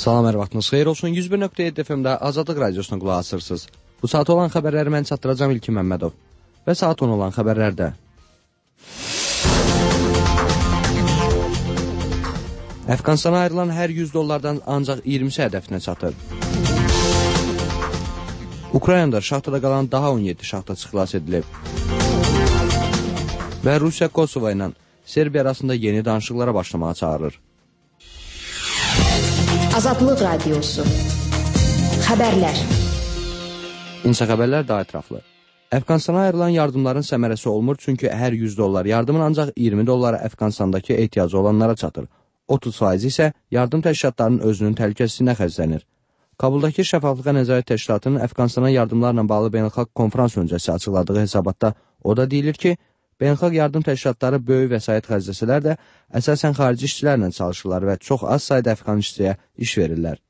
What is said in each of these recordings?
Salam, hər vaxtınız xeyir olsun. 101.7 FM-də Azadlıq Radiosuna qulaq asırsınız. Bu saat olan xəbərləri mən çatdıracağım İlkin Məmmədov. Və saat 10 olan xəbərlərdə. Əfqanistana ayrılan hər $100 ancaq 20-si hədəfinə çatır. Ukraynada şaxtada qalan daha 17 şaxtaçı xilas edilib. Və Rusiya Kosovo ilə Serbiya arasında yeni danışıqlara başlamağa çağırır. Azadlıq Radiosu. Xəbərlər. İnsa xəbərlər daha ətraflı. Əfqanistana ayrılan yardımların səmərəsi olmur, çünki hər $100 yardımın ancaq $20 Əfqanistandakı ehtiyacı olanlara çatır. 30% isə yardım təşkilatlarının özünün təhlükəsizliyinə xərclənir. Kabuldakı Şəffaflığa Nəzarət Təşkilatının Əfqanistana yardımlarla bağlı beynəlxalq konfrans öncəsi açıqladığı hesabatda o da deyilir ki, beynəlxalq yardım təşkilatları böyük vəsait xərcləsələr də əsasən xarici işçilərlə çalışırlar və çox az sayda Əfqan işçiyə iş verirlər.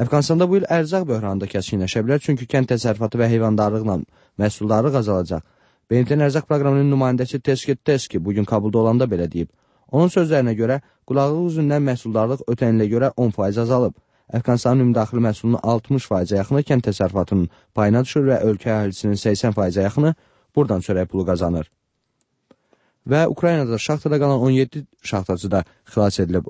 Əfqanistanda bu il ərzaq böhranı da kəskinləşə bilər, çünki kənd təsərrüfatı və heyvandarlıqla məhsuldarlıq azalacaq. BMT-nin ərzaq proqramının nümayəndəsi Teski bugün Kabulda olanda belə deyib. Onun sözlərinə görə, qulaqlıq üzündən məhsuldarlıq ötən ilə görə 10% azalıb. Əfqanistanın ümumdaxili məhsulunun 60%-ə yaxını kənd təsərrüfatının payına düşür və ölkə əhalisinin 80%-ə yaxını buradan çörək pulu qazanır. Və Ukraynada şaxtada qalan 17 şaxtaçı da xilas edilib.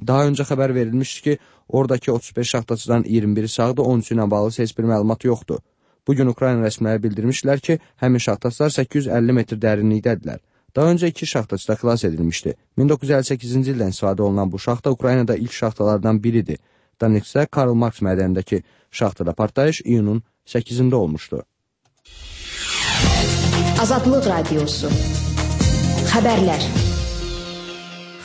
Daha öncə xəbər verilmişdi ki, oradakı 35 şaxtaçıdan 21-i sağdır, 13 ilə bağlı heç bir məlumat yoxdur. Bugün Ukrayna rəsmiləri bildirmişdilər ki, həmin şaxtaçılar 850 metr dərinlikdədirlər. Daha öncə 2 şaxtaçı da xilas edilmişdi. 1958-ci ildən istifadə olunan bu şaxta Ukraynada ilk şaxtalardan biridir. Donetskdə Karl Marx mədənindəki şaxtada partlayış iyunun 8-də olmuşdu. Azadlıq Radiosu. Xəbərlər.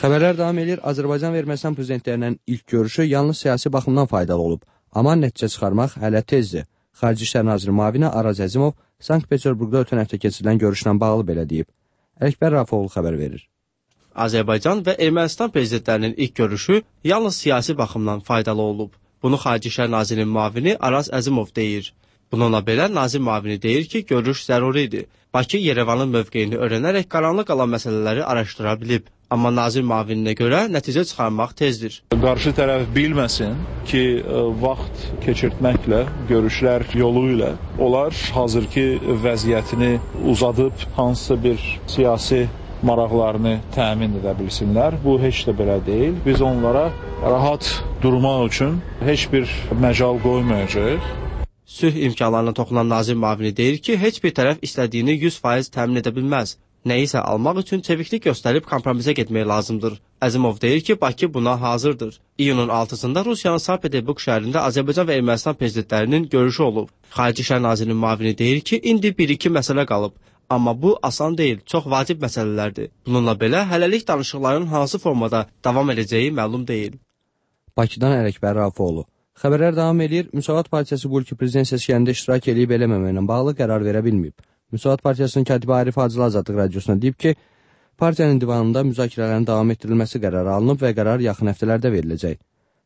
Xəbərlər davam edir. Azərbaycan və Ermənistan prezidentlərinin ilk görüşü yalnız siyasi baxımdan faydalı olub. Amma nəticə çıxarmaq hələ tezdir. Xarici İşlər Naziri müavini Araz Əzimov Sankt-Peterburqda ötən həftə keçirilən görüşlə bağlı belə deyib. Ələkbər Rafoğlu xəbər verir. Azərbaycan və Ermənistan prezidentlərinin ilk görüşü yalnız siyasi baxımdan faydalı olub. Bunu Xarici İşlər Nazirinin müavini Araz Əzimov deyir. Bununla belə nazir müavini deyir ki, görüş zəruridir. Bakı Yerevanın mövqeyini öyrənərək qaranlıq qalan məsələləri araşdıra bilib. Amma nazir müavininə görə nəticə çıxarmaq tezdir. Qarşı tərəf bilməsin ki, vaxt keçirtməklə, görüşlər yolu ilə onlar hazırki vəziyyətini uzadıb hansısa bir siyasi maraqlarını təmin edə bilsinlər. Bu heç də belə deyil. Biz onlara rahat durmaq üçün heç bir məcal qoymayacağıq. Sülh imkanlarına toxunan nazir müavini deyir ki, heç bir tərəf istədiyini 100% təmin edə bilməz. Nəyisə almaq üçün çeviklik göstərib kompromisə getmək lazımdır. Əzimov deyir ki, Bakı buna hazırdır. İyunun 6-sında Rusiyanın Sankt-Peterburq şəhərində Azərbaycan və Ermənistan prezidentlərinin görüşü olub. Xarici İşlər Nazirinin müavini deyir ki, indi 1-2 məsələ qalıb. Amma bu asan deyil, çox vacib məsələlərdir. Bununla belə hələlik danışıqların hansı formada davam edəcəyi məlum deyil. Bakıdan Ələkbər Rafoğlu. Xəbərlər davam edir. Müsavat Partiyası bu ilki prezident seçkilərində iştirak edib eləməməklə bağlı qərar verə bilməyib. Müsavat Partiyasının katibi Arif Hacılı Azadlıq Radiosuna deyib ki, partiyanın divanında müzakirələrin davam etdirilməsi qərarı alınıb və qərar yaxın həftələrdə veriləcək.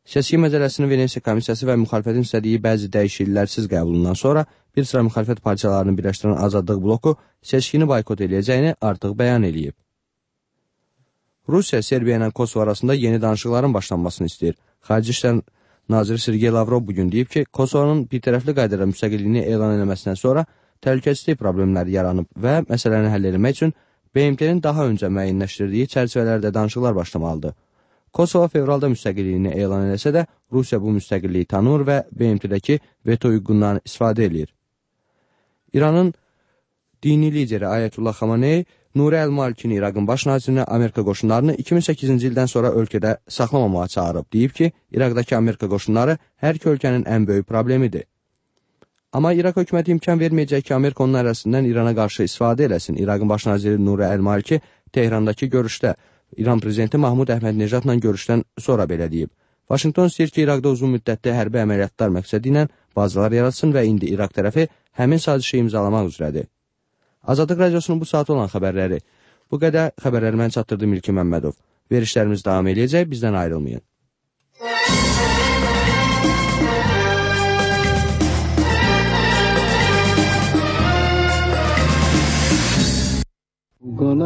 Seçki məcəlləsinin Venesiya komissiyası və müxalifətin istədiyi bəzi dəyişikliklərsiz qəbulundan sonra bir sıra müxalifət partiyalarını birləşdirən Azadlıq bloku seçkini boykot edəcəyini artıq bəyan edib. Rusiya Serbiya ilə Kosovo arasında yeni danışıqların başlanmasını istəyir. Xarici İşlər Naziri Sergey Lavrov bugün deyib ki, Kosovonun bir tərəfli qaydada müstəqilliyini elan etməsindən sonra təhlükəsizlik problemləri yaranıb və məsələni həll etmək üçün BMT-nin daha öncə müəyyənləşdirdiyi çərçivələrdə danışıqlar başlamalıdır. Kosovo fevralda müstəqilliyini elan eləsə də, Rusiya bu müstəqilliyi tanımır və BMT-dəki veto hüququndan istifadə edir. İranın dini lideri Ayətullah Xamenei Nuri Əl-Malikini, İraqın baş nazirini, Amerika qoşunlarını 2008-ci ildən sonra ölkədə saxlamamağa çağırıb. Deyib ki, İraqdakı Amerika qoşunları hər iki ölkənin ən böyük problemidir. Amma İraq hökuməti imkan verməyəcək ki, Amerika onun arasından İrana qarşı istifadə eləsin. İraqın baş naziri Nuri Əl-Maliki Tehrandakı görüşdə İran prezidenti Mahmud Əhməd-Necatla görüşdən sonra belə deyib. Vaşinqton istəyir ki, İraqda uzun müddətli hərbi əməliyyatlar məqsədi ilə bazalar yaratsın və indi İraq tərəfi həmin sazişi imzalamaq üzrədir. Azadlıq Radiosunun bu saat olan xəbərləri. Bu qədər xəbərləri mən çatdırdım İlkin Məmmədov. Verişlərimiz davam edəcək, bizdən ayrılmayın.